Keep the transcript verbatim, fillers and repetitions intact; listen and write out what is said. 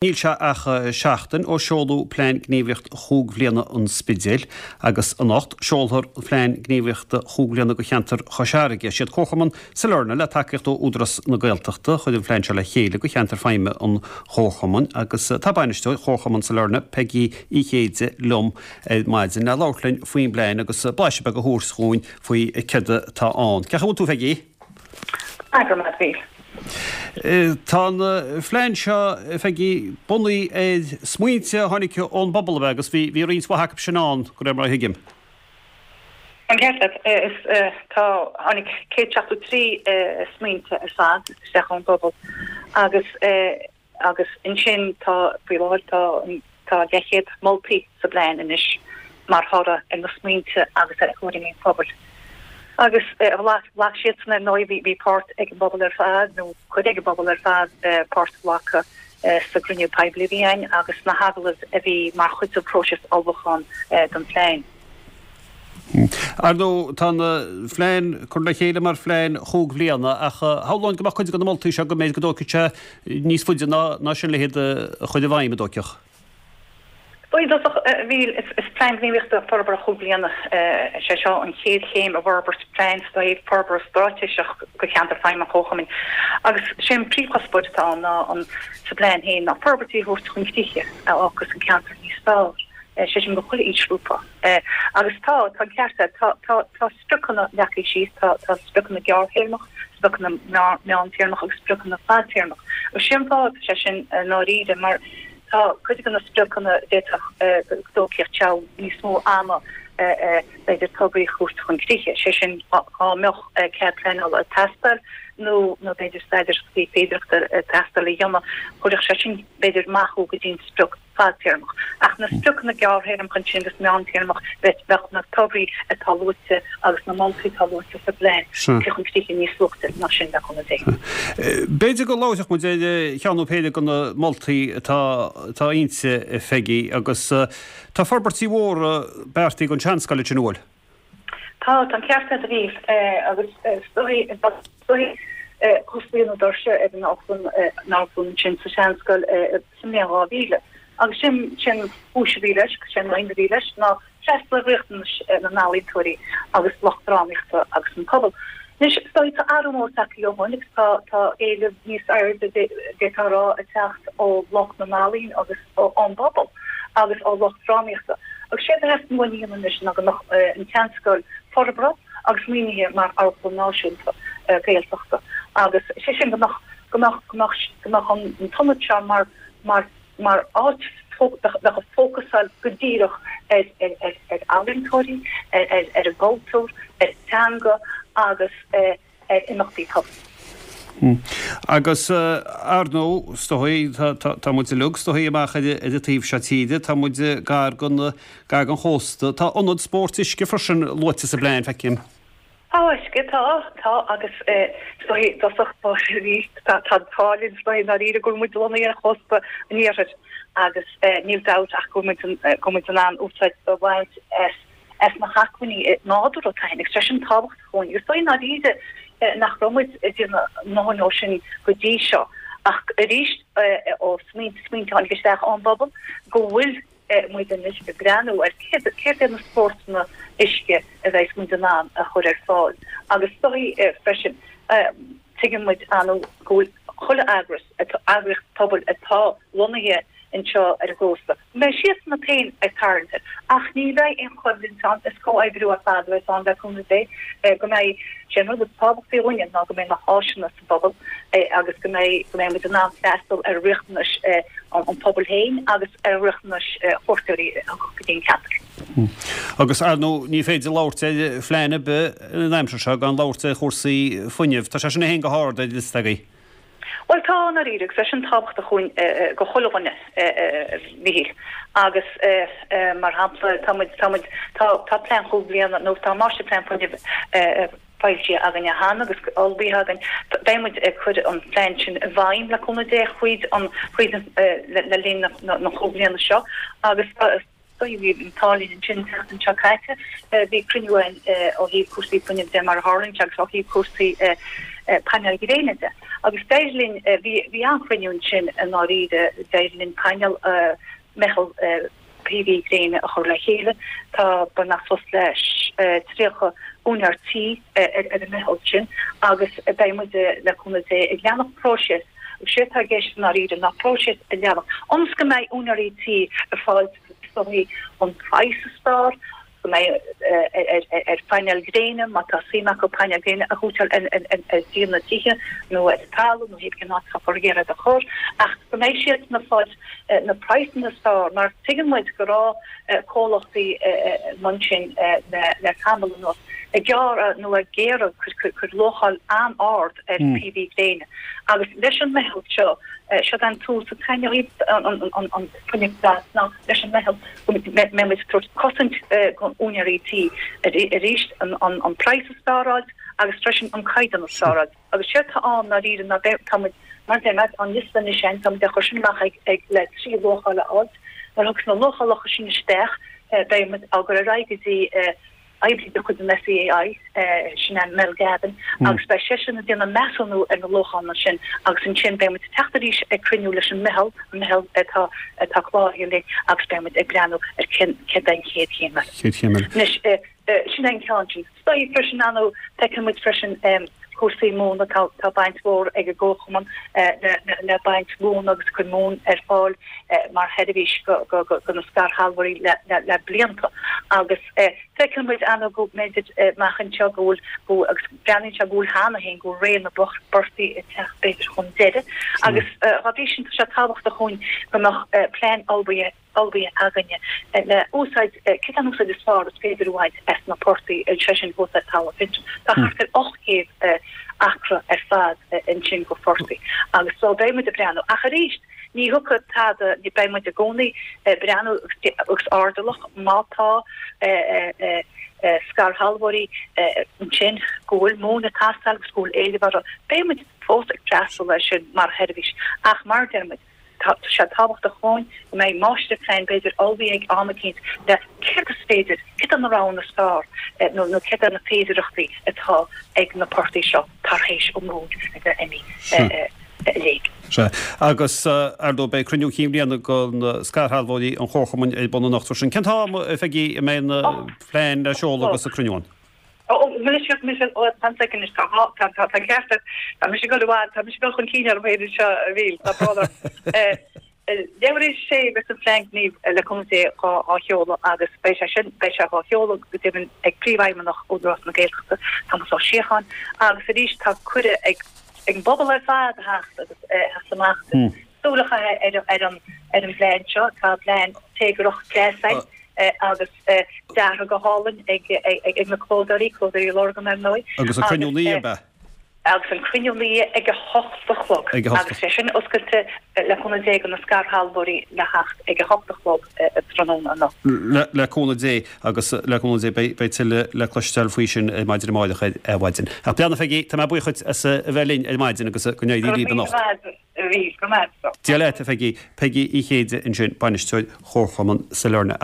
Níl sé ach seachtain ó seoladh Plean Gníomhaíochta Chúig Bhliana an Spidéil agus anocht seolfar Plean Gníomhaíochta Chúig Bhliana do cheantar Chois Fharraige. Is iad Comharchumann Sailearna le tacaíocht ó Údarás na Gaeltachta a chuir an phlean seo le chéile do cheantar feidhme an Chomharchumainn agus tá bainisteoir Chomharchumann Sailearna, Peigí Uí Chéide liom ar maidin le labhairt linn faoin bplean agus blaiseadh beag a thabhairt dhúinn faoi céard atá ann. Cén chaoi a bhfuil tú Pheigí? Go raibh maith agat. Tá an phlean seo, a Pheigí, bunaithe ar smaointe a tháinig ón bpobal ab ea agus bhí bhí roinnt mhaith acu sin ann, de réir mar a thuigim. An ceart leat. Is tá tháinig céad seachtó trí smaointe ar fad isteach ón bpobal agus agus ansin tá faoi láthair tá tá leathchéad moltaí sa bplean anois mar thoradh ar na smaointe agus ar thuairimí an phobail. Agus ghlac siadsan ar ndóigh, bhí páirt ag an bpobal ar fad, nó cuid ag an bpobal ar fad páirt a ghlacadh sa gcruinniú poiblí a bhí againn agus sna hagallaimh a bhí mar chuid den phróiseas ullmhúcháin don phlean. Ar ndóigh, tá an phlean curtha le chéile mar phlean chúig bhliana ach shamhlóinn go mbeadh cuid de na moltaí seo go mb'fhéidir go dtógfaidh sé níos faide ná sin le hiad a chur i bhfeidhm, an dtóigfeadh? I dtosach, a Mhíchíl, is Plean Gníomhaíochta Forbartha Chúig Bliana é seo, an chéad chéim i bhforbairt plean forbartha straitéiseach do cheantar feidhme an Chomharchumainn. Agus sé an príomhchuspóir atá ann ná an sa bplean féin ná forbairtí a thabhairt chun críche a fhágfas an ceantar níos fearr, sé sin do chuile aoisghrúpa. Agus tá, tá an ceart agat, tá, tá, tá spriocanna leagtha síos, tá, tá spriocanna gearrthéarmach, spriocanna meántéarmach agus spriocanna fadtéarmach. Agus sé an fáth atá sé sin i ndáiríre mar Tá cuid de na spriocanna d'fhéadfadh go dtógfadh seal níos mó ama b'fhéidir tograí a thabhairt chun críche, sé sin dá mbeadh cead pleanála ag teastáil nó nó b'fhéidir staidéar féidearthachta ag teastáil a dhéanamh, chuirfeadh sé sin b'fhéidir amach go dtí an sprioc fadtéarmach. Ach na spriocanna gearrthéarmacha ansin agus meántéarmach, bheadh na tograí atá luaite agus na moltaí atá luaite sa bplean tugtha chun críche níos luaite ná sin le cúnamh Dé. B'fhéidir go labharfadh muid ar cheann nó péire de na moltaí atá atá inti, a Pheigí, agus tá forbairtí mhóra beartaithe don tSeanscoil ansin, an bhfuil? Tá, tá an ceart agat a Mhíchíl, agus is dóigh, is dóigh, osclaíodh na doirse ar an amharclann ansin sa Seanscoil sa mbliain dhá mhíle agus sin sin an chúis a bhí leis, sin an aidhm a bhí leis ná freastal ar riachtanais na n-ealaíontóirí agus lucht drámaíochta agus an pobal. Anois, is dóigh, tá athrú mór tagtha ó shin agus tá tá éileamh níos airde d'fhéadfá a rá ag teacht ó lucht na n-ealaíon agus ón bpobal agus ó lucht drámaíochta. Agus séard a theastaíonn uainn a dhéanamh anois ná go mbeadh an tSeanscoil forbartha agus maoinithe mar amharclann náisiúnta Gaeltachta agus sé sin go mbeadh go mbeadh go mbeadh go mbeadh an t-ionad seo mar mar mar áit a bheadh ag fócasáil go díreach ar ealaíontóirí, ar an gcultúr, ar an teanga agus ar imeachtaí pobail. Agus ar ndóigh, is dóigh, tá muid uilig, is dóigh, amach ar an taobh seo tíre, tá muid gar don chósta. Tá ionad spóirt uisce freisin luaite sa bplean, feicim. Tá uisce, tá, tá agus is dóigh i dtosach báire tá tá an t-ádh linn is dóigh i ndáiríre go bhfuil muid lonnaithe ar chósta an iarthair agus níl dabht ach go bhfuil muid go bhfuil muid in ann úsáid a bhaint as as na hacmhainní nádúrtha atá againn agus tá sin tábhachtach dhúinn agus is dóigh i ndáiríre nach raibh muid ag déanamh a ndóthain dhó sin go dtí seo ach arís ó smaointe smaointe a tháinig isteach ón bpobal go bhfuil muid anois ag breathnú ar céard iad na spórtanna uisce a bheas muid in ann a chur ar fáil agus is dóigh freisin tuigeann muid ar ndóigh go bhfuil chuile eagras, eagraíocht pobail atá lonnaithe anseo ar an gcósta, go mbeidh siadsan féin ag tarraingt air ach ní bheidh aon choimhlint ann, is comhoibriú ar fad a bheas ann le cúnamh Dé go mbeidh, sé an rud is tábhachtaí dhúinne ná go mbeidh na háiseanna sa bpobal agus go mbeidh go mbeidh muid in ann freastal ar riachtanais an phobail féin agus ar riachtanais chuairteoirí a thiocfadh go dtí an ceantar. Agus ar ndóigh ní féidir labhairt ar phlean ar bith an aimsir seo gan labhairt ar chúrsaí fuinnimh. Tá sé sin féin go hard ar an liosta agaibh. Bhuel tá, i ndáiríre, agus tá sin tábhachtach dhúinn go chuile dhuine, a Mhíchíl. Agus mar shampla tá muid, tá muid, tá tá plean chúig bliana nó tá máistirphlean fuinnimh foilsithe againne cheana agus ullmhaithe againn. Beidh muid ag cur an phlean sin i bhfeidhm le cúnamh Dé thríd an, thríd an, le linn na chúig bliana seo agus bhí an t-ádh linn ansin an tseachtain seo caite bhí cruinniú againn ó thaobh cúrsaí fuinnimh de mar a tharlaíonn sé agus ó thaobh cúrsaí painéil ghréine de Agus d'éirigh linn, bhí bhí an-chruinniú ansin i ndáiríre, d'éirigh linn painéal meitheal PV gréine a chur le chéile. Tá beagnach suas le tríocha úinéir tí ar an meitheal sin agus beidh muid le cúnamh Dé ag leanacht próiseas agus sé atá i gceist i ndáiríre ná próiseas a leanacht ionas go mbeidh úinéirí tí ag fáil is dóigh an praghas is fearr go mbeidh ar phainéil gréine, má tá suim acu painéil gréine a shuiteáil ar dhíon na dtithe nó ar an talamh nó cibé cén áit atá ag iarraidh a chur, ach go mbeidh siad ag fáil na praghsanna is fearr mar tuigeann muid go raibh comhlachtaí mar sin le tamall anuas ag gearradh nó ag iarraidh cur luacháil an-ard ar PV gréine agus leis an meitheal seo, Seo an tús atá an fuinneamh glas ná leis an meitheal go mbeidh muid ag tabhairt cosaint don úinéirí tí arís an praghas is fearr a fháilt agus freisin an caighdeán is fearr a fháilt. Agus séard atá ann ndáiríre ná tá muid mar a deir mé an liosta anois sin tá muid á chur sin amach ag ag le trí luacháil a fháilt. Nuair a thiocfas na luachálacha sin isteach beidh muid á gcur ar aghaidh go dtí oibrí de chuid an SEAI, sin é Mel Gavin, agus beidh seisean ag déanamh measúnú ar na luachanna sin agus ansin beidh muid ag teacht arís ag cruinniú leis an meitheal, an meitheal atá atá cláraithe linn agus beidh muid ag breathnú ar cén céard é an chéad chéim eile. Chéad chéim eile. Anois, sin é an ceann sin. Is dóigh freisin, ar ndóigh, feiceann muid freisin cúrsaí móna, tá tá baint mhór ag an gComharchumann le le baint mhóna agus cur móin ar fáil mar sheirbhís go go go na scairshealbhóirí le le le blianta agus Feiceann muid ar ndóigh go mb'fhéidir amach anseo go bhfuil, go, agus breathnaíonn sé go bhfuil cheana féin, go bhfuil ré na bportaigh ag teacht b'fhéidir chun deiridh. Agus dá bhrí sin tá sé tábhachtach dhúinn go mbeadh plean ullmhaithe, ullmhaithe againne le úsáid, céard é an úsáid is fearr is féidir a bhaint as na portaigh, sé sin thuas ar Talamh Fintrim. Tá thart ar ocht gcéad acra ar fad ansin de phortaigh agus so beidh muid ag breathnú. Ach arís, Ní thiocfaidh tada, beidh muid i gcónaí ag breathnú agus airdeallach má tá scairshealbhóirí ansin go bhfuil móin ag teastáil agus go bhfuil éileamh orthu, beidh muid fós ag freastal air sin mar sheirbhís. Ach mar a deir muid, tá sé tábhachtach dhúinn go mbeidh máistirphlean b'fhéidir ullmhaithe ag am eicínt le céard is féidir, céard é na roghanna is fearr nó céard é na féidearthachtaí atá ag na portaigh seo tar éis an mhóin a bheith imithe. i léig. Sea. Agus, ar ndóigh, beidh cruinniú cinn bhliana de scairshealbhóirí an Chomharchumainn ar bun anocht freisin. Cén t-am, a Pheigí, a mbeidh an plean le seoladh agus an cruinniú ann? Ó, mise, mise, ó, fan soicind anois, tá, tá, tá, tá an ceart agat. Tá mise ag dul i bhfad, tá mise ag dul chun cinn orm féin anseo, a Mhíl, tá brón orm. Leathuair tar éis a sé beidh an Plean Gnímh le cúnamh Dé dhá sheoladh agus beidh sé sin, beidh sé dhá sheoladh go deimhin ag Príomhfheidhmeannach Údarás na Gaeltachta, Tomás Ó Síocháin, agus arís tá cuireadh ag ag an bpobal ar fad a theacht agus a theacht amach agus súil a chaitheamh ar an ar an bplean seo. Tá plean téagarthach deas ann agus deartha go hálainn ag ag na clódóirí, Clódóirí Lurgan ar ndóigh. Agus an cruinniú naoi ab ea? Agus an cruinniú naoi ag a hocht a chlog. Ag a hocht. Agus é sin oscailte le cúnamh Dé do na scairshealbhóirí le theacht ag a hocht a chlog tráthnóna anocht. Le cúnamh Dé agus le cúnamh Dé beidh tuilleadh le cloisteáil faoi sin ar maidin amárach ar maidin. Ach beannacht a Pheigí, tá mé buíoch dhuit as a bheith linn ar maidin agus go n-éirí libh anocht. Go raibh míle maith agat, a Mhíl, go raibh maith agat. Dia leat, a Pheigí. Peigí Uí Chéide ansin, Bainisteoir Chomharchumann Sailearna.